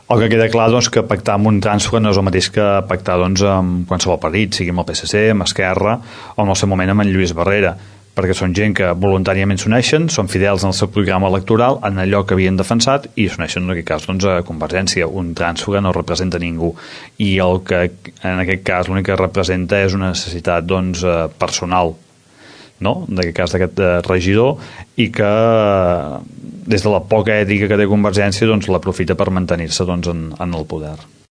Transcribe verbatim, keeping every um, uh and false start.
El que queda clar doncs, que pactar amb un trànsfuga no és el mateix que pactar doncs, amb qualsevol partit, sigui amb el P S C, amb Esquerra o en el seu moment amb en Lluís Barrera, perquè són gent que voluntàriament s'uneixen, són fidels en el seu programa electoral, en allò que havien defensat, i s'uneixen en aquest cas doncs, a Convergència. Un trànsfuga no representa ningú, i el que en aquest cas l'únic que representa és una necessitat doncs, personal, no? En aquest cas d'aquest regidor, i que des de la poca ètica que té Convergència doncs, l'aprofita per mantenir-se doncs, en, en el poder.